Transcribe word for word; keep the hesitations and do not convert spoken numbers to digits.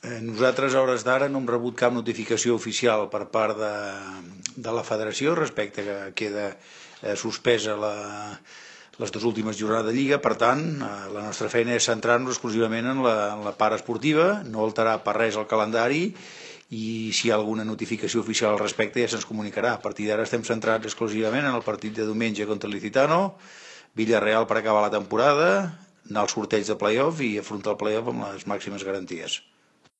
Eh, Nosaltres, a hores d'ara, no hem rebut cap notificació oficial per part de, de la federació respecte que queda eh, suspesa la, les dues últimes jornades de Lliga. Per tant, eh, la nostra feina és centrar-nos exclusivament en la, en la part esportiva, no alterar per res el calendari, i si hi ha alguna notificació oficial al respecte ja se'ns comunicarà. A partir d'ara estem centrats exclusivament en el partit de diumenge contra el Licitano, Villarreal per acabar la temporada, anar al sorteig de play-off i afrontar el play-off amb les màximes garanties.